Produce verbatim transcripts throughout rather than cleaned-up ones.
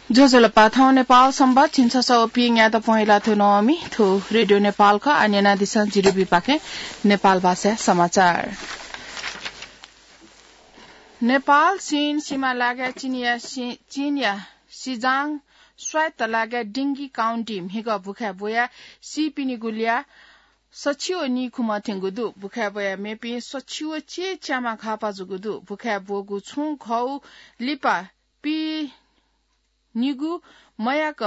ज्वजलपा, थौं नेपाल संवत् झिंछसः व पीन्यादँ पहेँला थ्व नवमी, थ्व रेडियो नेपाल खः। आः न्यनादिसँ जिरिबीपाखें नेपाल भाषाया समाचार। नेपाल चीन सीमा लागाय् चीनया सि-, चीनया सिजाङ स्वायत्त लागाय् डिंगी काउन्टी म्हिगः भुखाय् ब्वयाः सीपिनिगु ल्याः सछि व नीखुम्ह थ्यंगु दु। भुखाय् ब्वयाः मेपिं सछि व चय्‌च्याम्ह घाःपाः जूगु दु। भुखाय् ब्वःगु छुं घौ लिपा पीनिगू मयाक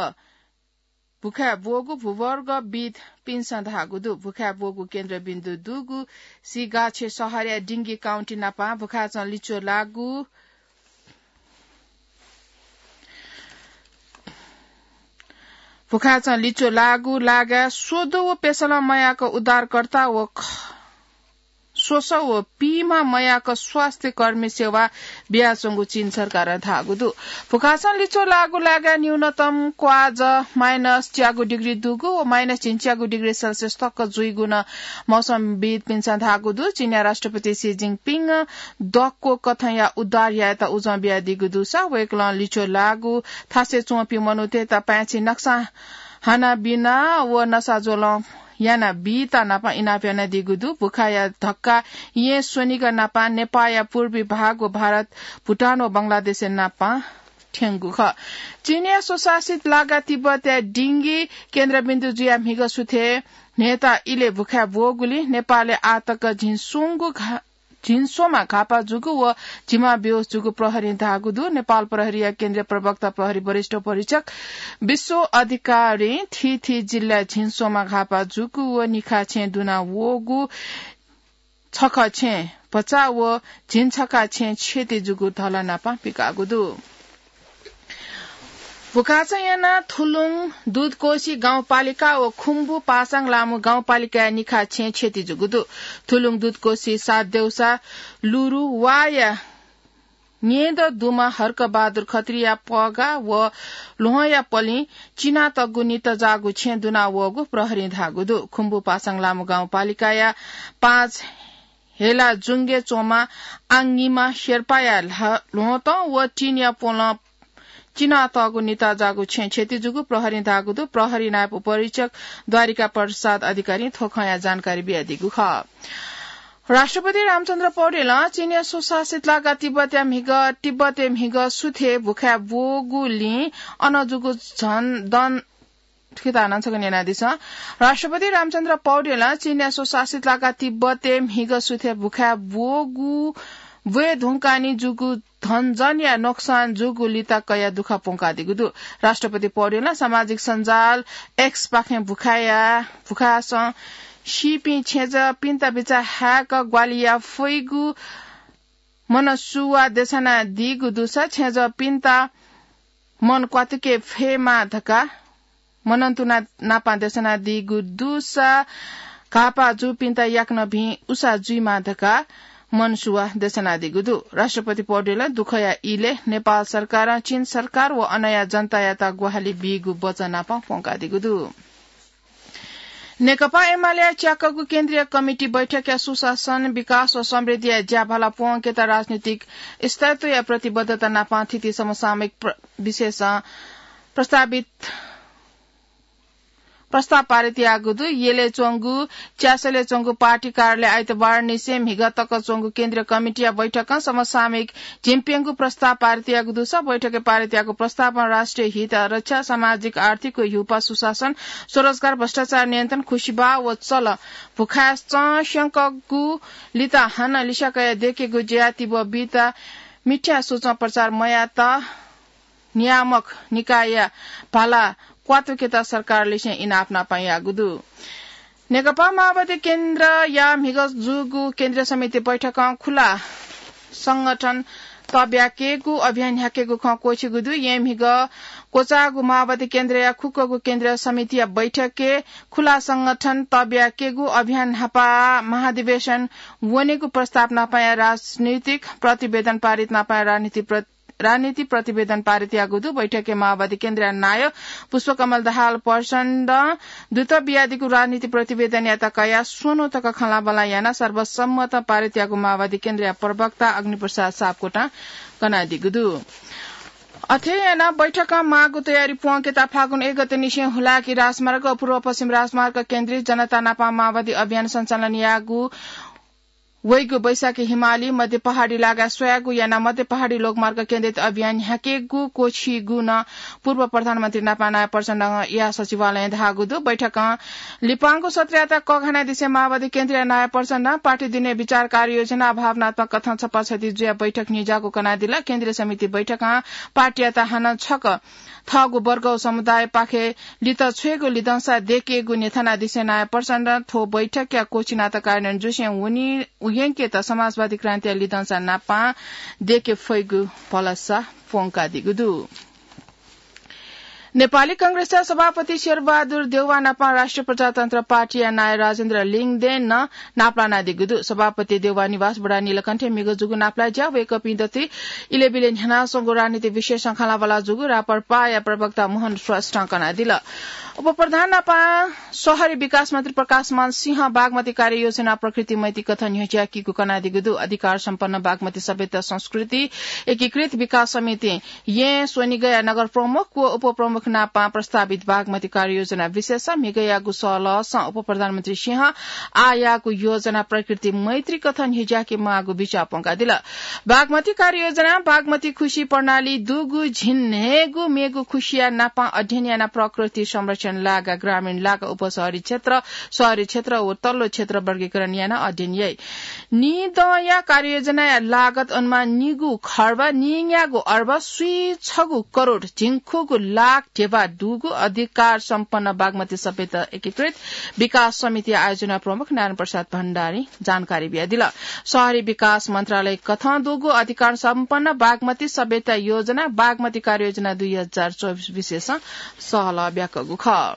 भुखाय् ब्वःगु भूगर्भविद्‌पिन्सं धाःगु दु। भुखाय् ब्वःगु केन्द्रबिन्दु दुगु सिगाछे शहरया डिंगी काउन्टी नापं भुखाचं लिच्वः लाःगु भुखाचं लिच्वः लाःगु लागाय् स्वद्वः व पेसलं मयाक उद्धारकर्ता व ख-, स्वसः व पीम्ह मयाक स्वास्थ्य कर्मी सेवा बियाच्वंगु चीन सरकारं धाःगु दु। भुखाचं लिच्वः लाःगु लागाय् न्यूनतम क्वाःजः माइनस च्यागू डिग्री दुगु व माइनस झिंच्यागू डिग्री सेल्सियस तक जुइगु नं मौसमविद्‌पिन्सं धाःगु दु। चीनया राष्ट्रपति सी जिनपिङ दक्व कथंया उद्धार यायेत उजं बियादीगु दुसा वय्‌कलं लिच्वः लाःगु थासय् च्वंपिं मनूतय्‌त पाय्‌छि नक्सां हानाबिना व नसाज्वलं यानाबीत नापं इनाप यानादीगु दु। भुखाया धक्का येँ स्वनिगः नापं नेपाःया पूर्वी भाग व भारत, भुटान व बंगलादेशया नापं थ्यंगु खः। चीनया स्वशासित लागा तिब्बतया डिंगी केन्द्रबिन्दु जुयाः म्हिगः सुथय् न्हय्‌ता इलय् भुखाय् ब्वःगुलिं नेपालय् आःतक झिंस्वंगु घा-, झिंस्वम्ह घाःपाः जूगु व झिम्ह बेहोस जूगु प्रहरीं धाःगु दु। नेपाल प्रहरीया केन्द्रीय प्रवक्ता प्रहरी वरिष्ठ उपरीक्षक विश्व अधिकारीं थीथी जिल्लाय् झिंस्वम्ह घाःपाः जूगु व निखा छेँ दुना वःगु छखा छेँ भचा व झिंछखा छेँ क्षति जूगु धला नापं पिकाःगु दु। भुखाचं यानाः थुलुङ दुधकोशी गाउँपालिका व खुम्बु पासाङ लामु गाउँपालिकाया निखा छेँ क्षति जूगु दु। थुलुङ दुधकोशी सात देउसा लुरु वाया न्येदँ दुम्ह हर्कबहादुर खत्रीया पगा व ल्वहंया पलिं चिनातःगु निता जाःगु छेँ दुना वःगु प्रहरीं धाःगु दु। खुम्बु पासाङ लामु गाउँपालिकाया पाँच हेला जुंगे च्वंम्ह आङनिमा शेर्पाया ल्हा-, ल्वहंतं व टिनया पोलं चिनातःगु निता जाःगु छेँ क्षति जूगु प्रहरीं धाःगु दु। प्रहरी नायब उपरीक्षक द्वारिका प्रसाद अधिकारीं थ्व खँया जानकारी बियादीगु खः। राष्ट्रपति रामचन्द्र पौडेलं चीनया स्वशासित लागा तिब्बतया म्हिगः, तिब्बतय् म्हिगः सुथय् भुखाय् ब्वःगुलिं अन जूगु झन दन, थुकिता नं छकः न्यनादिसँ। राष्ट्रपति रामचन्द्र पौडेलं चीनया स्वशासित लागा तिब्बतय् म्हिगः सुथय् भुखाय् ब्वःगु, ब्वये धुंकाः नि जूगु धनजनया नोक्सान जूगु लिता कयाः दुःख प्वंकादीगु दु। राष्ट्रपति पौडेलं सामाजिक सञ्जाल X पाखें भुखाया, भुखासं सीपिं छेँजःपिन्त बिचाः हाय्‌क ग्वाहालि याये फइगु मनसुवा देछानादीगु दुसा छेँजःपिन्त मन क्वातुके फयेमा धकाः मनंतुना नापं देछानादीगु दुसा घाःपाः जूपिन्त याकनं भिं उसा जुइमा धकाः मनसुवा देछानादीगु दु। राष्ट्रपति पौडेलं दुःखया इलय् नेपाल सरकारं चीन सरकार व अनया जनतायात ग्वाहालि बीगु वचा नापं प्वंकादीगु दु। नेकपा एमालेया च्याकःगु केन्द्रीय कमिटी बैठकया सुशासन, विकास व समृद्धिया ज्याभाला प्वंकेत राजनीतिक स्थायित्वया प्रतिबद्धता नापं थीथी समसामयिक प्र-, विषयसं प्रस्तावित प्रस्ताव पारित याःगु दु। यलय् च्वंगु च्यासलय् च्वंगु पार्टी कार्यालय आइतबार निसें म्हिगः तक च्वंगु केन्द्रीय कमिटीया बैठकं समसामयिक झिंप्यंगू प्रस्ताव पारित याःगु दुसा बैठकय् पारित याःगु प्रस्तावं राष्ट्रिय हित रक्षा, सामाजिक आर्थिक व ह्यूपाः सुशासन, स्वरोजगार, भ्रष्टाचार नियन्त्रण, खुसिबाः व चल भुखाय् च्वंस्यंकःगु लिता हानं लिस्याकया दयेकेगु ज्या तिब्व बीत मिथ्या सोचं प्रचार मयात नियामक निकायया भाला क्वातुकेत सरकारलिसें इनाप नापं याःगु दु। नेकपा माओवादी केन्द्रया म्हिगः जूगु केन्द्रीय समिति बैठकं खुला संगठन तब्याकेगु अभियान न्ह्याकेगु खँ क्वःछिगु दु। येँ म्हिगः क्वचाःगु माओवादी केन्द्रया खुक्कगु केन्द्रीय समितिया बैठकय् खुला संगठन तब्याकेगु अभियान न्हापा महाधिवेशन वनेगु प्रस्ताव नापंया राजनीतिक प्रतिवेदन पारित नापंया राजनीति प्र-, राजनीति प्रतिवेदन पारित याःगु दु। बैठकय् माओवादी केन्द्रया नायः पुष्पकमल दाहाल प्रचण्डं दुत बियादीगु राजनीति प्रतिवेदनयात कयाः स्वन्हु तक खँल्हाबल्हा यानाः सर्वसम्मत पारित याःगु माओवादी केन्द्रया प्रवक्ता अग्निप्रसाद सापकोटां कनादीगु दु। अथे यानाः बैठकं माःगु तयारी प्वंकेत फागुन एक गते निसें हुलाकी राजमार्ग, पूर्व पश्चिम राजमार्ग केन्द्रित जनता नापं माओवादी अभियान सञ्चालन याःगु वइगु बैशाखी हिमाली मध्य पहाडी लागा स्वयागु यानाः मध्य पहाडी लोकमार्ग केन्द्रित अभियान न्ह्याकेगु क्वःछिगु नं पूर्व प्रधानमन्त्री नापं नारायण प्रचण्डया सचिवालयं धाःगु दु। बैठकं लिपांगु सत्रयात कःघानादिसें माओवादी केन्द्रीय नायः प्रचण्डं पार्टी दुने विचार कार्ययोजना भावनात्मक कथं छपाछति जुयाः बैठक न्ह्यज्याःगु कनादिल। केन्द्रीय समिति बैठकं पार्टीयात हानं छकः थःगु वर्ग व समुदायपाखे लित छ्वयेगु लिधंसा देकेगु न्ह्यथनादिसें नायः प्रचण्डं थ्व बैठकया क्वःछिनात कार्यान्वयन जुसें वनी उयंकेत समाजवादी क्रान्तिया लिधंसा नापं देके फइगु भलसा प्वंकादीगु दु। नेपाली कांग्रेसया सभापति शेरबहादुर देउवा नापं राष्ट्रिय प्रजातन्त्र पार्टीया नायः राजेन्द्र लिङदेन नं नापलानादीगु दु। सभापति देउवा निवास बुढा नीलकण्ठय् म्हिगः जूगु नापलाये ज्या वय्कःपिं दथुइ इलेबिले न्ह्यानाच्वंगु राजनीतिक विषयसं खँल्हाबल्हा जूगु राप्रपाया प्रवक्ता मोहन श्रेष्ठं कनादिल। उपप्रधान नापं शहरी विकास मन्त्री प्रकाशमान सिंहं बागमती कार्ययोजना प्रकृति मैत्री कथं न्ह्यज्याकीगु कनादीगु दु। अधिकार सम्पन्न बागमती सभ्यता संस्कृति एकीकृत विकास समिति यें स्वनिगःया नगर प्रमुख व उपप्रमुख नापं प्रस्तावित बागमती कार्ययोजना विषयसं म्हिगःयागु सहलहसं उपप्रधानमन्त्री सिंहं आःयाःगु योजना प्रकृति मैत्री कथं न्ह्यज्याके माःगु बिचाः प्वंकादिल। बागमती कार्ययोजना बागमती खुसी प्रणाली दुगु झिंन्हय्गू मेगु खुसिया नापं अध्ययन यानाः प्रकृति संरक्षण लागा, ग्रामीण लागा, उपशहरी क्षेत्र, शहरी क्षेत्र व तल्लो क्षेत्र वर्गीकरण यानाः अध्ययन याइ। नीदँया कार्ययोजनाया लागत अनुमान निगू खर्ब निंग्यागू अर्ब स्वीछगू करोड झिंखुगू लाख ध्यबा दुगु अधिकार सम्पन्न बागमती सभ्यता एकीकृत विकास समिति आयोजना प्रमुख नारायण प्रसाद भण्डारी जानकारी बियादिल। शहरी विकास मन्त्रालय कथं दुगु अधिकार सम्पन्न बागमती सभ्यता योजना बागमती कार्ययोजना दुई हजार चौबिस विषयसं सहलह ब्याकःगु खः।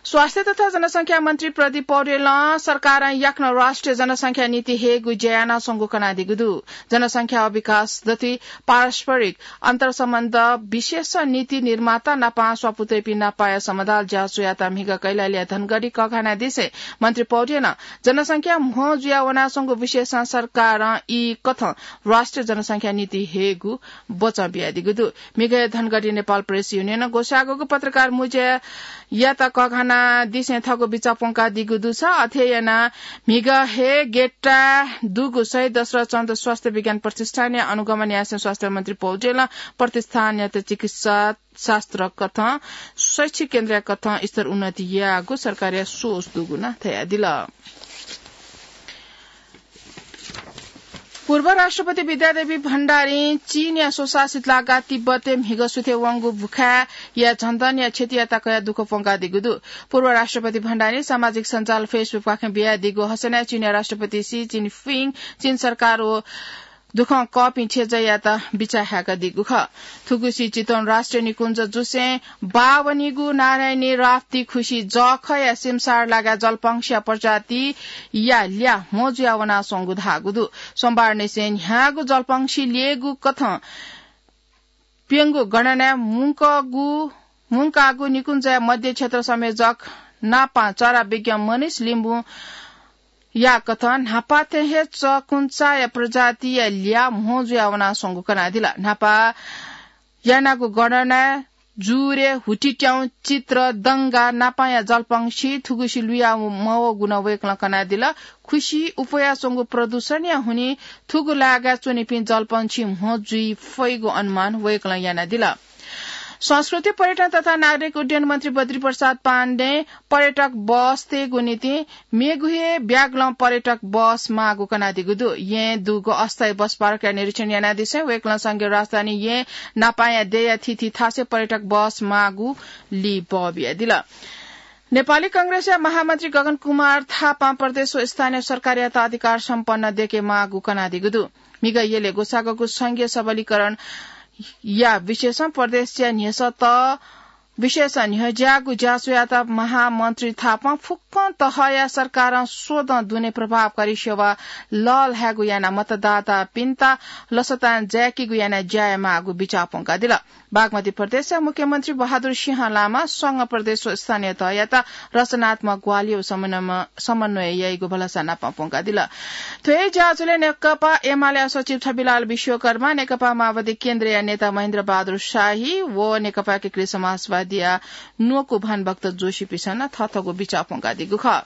स्वास्थ्य तथा जनसंख्या मन्त्री प्रदीप पौडेलं सरकारं याकनं राष्ट्रिय जनसंख्या नीति हयेगु ज्या यानाच्वंगु कनादीगु दु। जनसंख्या व विकास दथुइ पारस्परिक अन्तरसम्बन्ध विशेष नीति निर्माता नापं स्वापू तइपिं नापाया समदाल ज्याझ्वःयात म्हिगः कैलालीया धनगढी कःघानादिसें मन्त्री पौडेलं जनसंख्या म्हो जुया वनाच्वंगु विषयसं सरकारं ई कथं राष्ट्रिय जनसंख्या नीति हयेगु बचं बियादीगु दु। म्हिगः हे धनगढी नेपाल प्रेस युनियनं ग्वसाःगु पत्रकार मुँज्यायात कःघानादिसें थःगु बिचाः प्वंकादीगु दुसा अथे यानाः म्हिगः हे गेटा दुगु शहीद दशरथ चन्द स्वास्थ्य विज्ञान प्रतिष्ठानया अनुगमन यासें स्वास्थ्य मन्त्री पौडेलं प्रतिष्ठानयात चिकित्सा शास्त्र कथं शैक्षिक केन्द्रया कथं स्तर उन्नति याःगु सरकारया सोच दुगु नं धयादिल। पूर्व राष्ट्रपति विद्यादेवी भण्डारीं चीनया स्वशासित लागा तिब्बतय् म्हिगः सुथे वंगु बुखाय्‌या झन्दनया क्षतियात कयाः दुःख प्वंकादीगु दु। पूर्व राष्ट्रपति भण्डारीं सामाजिक सञ्जाल Facebook पाखें बियादीगु हसनय् चीनया राष्ट्रपति सी जिनपिङ, चीन सरकार व दुःखं कःपिं थेजायात बिचाः हाय्‌कादीगु खः। थुगुसी चितवन राष्ट्रिय निकुञ्ज जुसें बावनीगु नारायणी राप्ती खुसी जःखःया सिमसार लागा जलपंक्षीया प्रजातिया ल्याः म्हो जुया वनाच्वंगु धाःगु दु। सोमबारनिसें न्ह्याःगु जलपंक्षी ल्येगु कथं प्यंगू गणनाय् मुंकगु, मुंकागु निकुञ्जया मध्य क्षेत्र संयोजक नापं चरा विज्ञ मनिष लिम्बुं याकथं न्हापा थें हे चकुन्चाया प्रजातिया ल्याः म्हो जुया वनाच्वंगु कनादिल। न्हापा यानागु गणनाय् जुरे, हुतिट्याउँ, चित्र, दंगा नापांया जलपंक्षी थुगुसी लुया मवःगु नं वय्‌कलं कनादिल। खुसी उफयाच्वंगु प्रदूषणया हुनिं थुगु लागाय् च्वनीपिं जलपंक्षी म्हो जुइ फइगु अनुमान वय्‌कलं यानादिल। संस्कृति, पर्यटन तथा नागरिक उड्डयन मन्त्री बद्री प्रसाद पाण्डें पर्यटक बस तयेगु निंतिं मेगु हे ब्यागलं पर्यटक बस माःगु कनादीगु दु। येँ दुगु अस्थायी बस पार्कया निरीक्षण यानादिसें वय्‌कलं संघीय राजधानी येँ नापांया देया थीथी थासय् पर्यटक बस माःगु लिपा बियादिल। नेपाली कांग्रेसया महामन्त्री गगन कुमार थापां प्रदेश व स्थानीय सरकारयात अधिकार सम्पन्न देके माःगु कनादीगु दु। म्हिगः यलय् ग्वसाःगु संघीय सबलीकरणया विषयसं प्रदेशया न्ह्यसः तः विशेष न्ह्यज्याःगु ज्याझ्वःयात महामन्त्री थापां फुक्कं तहया सरकारं स्वदँ दुने प्रभावकारी सेवा लःल्हायेगु यानाः मतदातापिन्त लसतां जाय्‌केगु यानाः ज्या यायेमाःगु बिचाः प्वंकादिल। बागमती प्रदेशया मुख्यमन्त्री बहादुर सिंह लामां संघ प्रदेश व स्थानीय तहयात रचनात्मक ग्वाहालि व समन्वयमा, समन्वय याइगु भलसा नाप प्वंकादिल। थ्व हे ज्याझ्वलय् नेकपा एमालेया सचिव छविलाल विश्वकर्मा, नेकपा माओवादी केन्द्रया नेता महेन्द्र बहादुर शाही व नेकपा एकीकृत समाजवादीया न्वकू भानुभक्त जोशीपिसं नं थःथःगु बिचाः प्वंकादीगु खः।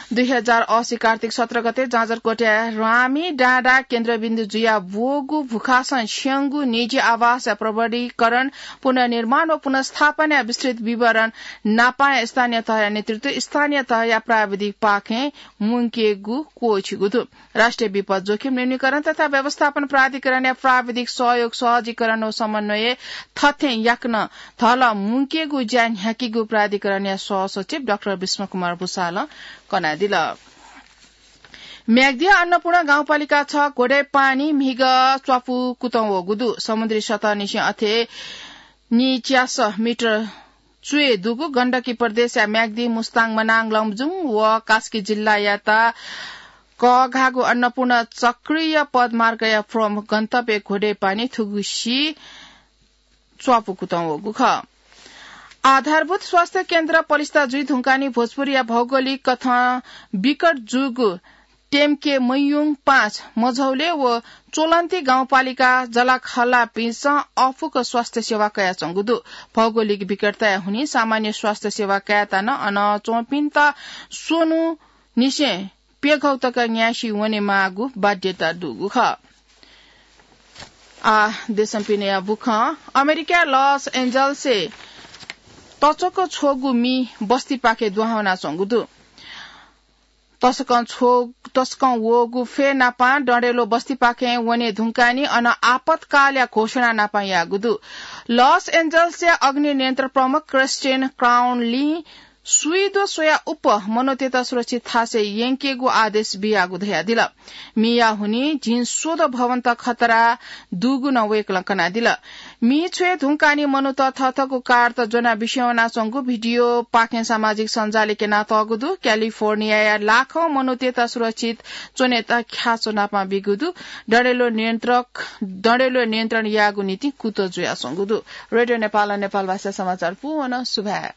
दुई हजार असी कार्तिक सत्र गते जाजरकोटया रामी डाँडा केन्द्रबिन्दु जुया ब्वःगु भुखासं स्यंगु निजी आवासया प्रबलीकरण, पुनर्निर्माण व पुनर्स्थापनाया विस्तृत विवरण नापाया स्थानीय तहया नेतृत्व, स्थानीय तहया प्राविधिक पाखें मुंकेगु क्वःछिगु दु। राष्ट्रिय विपद जोखिम न्यूनीकरण तथा व्यवस्थापन प्राधिकरणया प्राविधिक सहयोग सहजीकरण व समन्वय थथें याकनं धल मुंकेगु ज्या न्ह्याकीगु प्राधिकरणया सहसचिव डाक्टर विष्णुकुमार भुसालं कनादिल। म्याग्दी अन्नपूर्ण गाउँपालिका छ घोडे पानी म्हिगः च्वापु कुतं वःगु दु। समुद्री सतहनिसें अथे निच्यास मिटर च्वय् दुगु गण्डकी प्रदेशया म्याग्दी, मुस्ताङ, मनाङ, लमजुङ व कास्की जिल्लायात कःघाःगु अन्नपूर्ण चक्रीय पदमार्गया प्रमुख गन्तव्य घोडे पानी थुगुसी च्वापु कुतं वःगु खः। आधारभूत स्वास्थ्य केन्द्र पलिस्था जुइ धुंकानि भोजपुरया भौगोलिक कथं विकट जूगु टेम्के मयुङ पाँच मझौले व चोलन्ती गाउँपालिका जलाखल्लापिन्सं अफुक स्वास्थ्य सेवा कयाच्वंगु दु। भौगोलिक विकटताया हुनिं सामान्य स्वास्थ्य सेवा कायेत नं अन च्वंपिन्त स्वन्हु निसें प्यघौ तक न्यासि वनेमाःगु बाध्यता दुगु खः। आ, देशं पिनेया बुखँ। अमेरिका लस एन्जल्सय् तचक छ्वःगु मि बस्तीपाखे दुहां वनाच्वंगु दु। तसकं छ्व-, तसकं वःगु फय् नापां डँडेलो बस्तीपाखें वने धुंकानि अन आपतकालया घोषणा नापां याःगु दु। लस एन्जल्सया अग्नि नियन्त्रण प्रमुख क्रिस्टिन क्राउनलीं सुइदो स्वया उप मनूतय्त सुरक्षित थासय् यंकेगु आदेश बियागु धयादिल। मिया हुनिं झिंस्वदँ भवनत खतरा दुगु नं वय्कलं कनादिल। मि छ्वये धुंकानि मनूत थःथःगु कारत ज्वनाः बिस्युं वनाच्वंगु भिडियोपाखें सामाजिक सञ्जालय् क्यनातःगु दु। क्यालिफोर्नियाया लाखौं मनूतय्त सुरक्षित च्वनेत ख्याच्वः नापां बीगु दु। डँडेलो नियन्त्रक, डँडेलो नियन्त्रण यायेगु निंतिं कुतः जुयाच्वंगु दु। रेडियो नेपालं नेपालभाषा समाचार पूवन सुभाय्।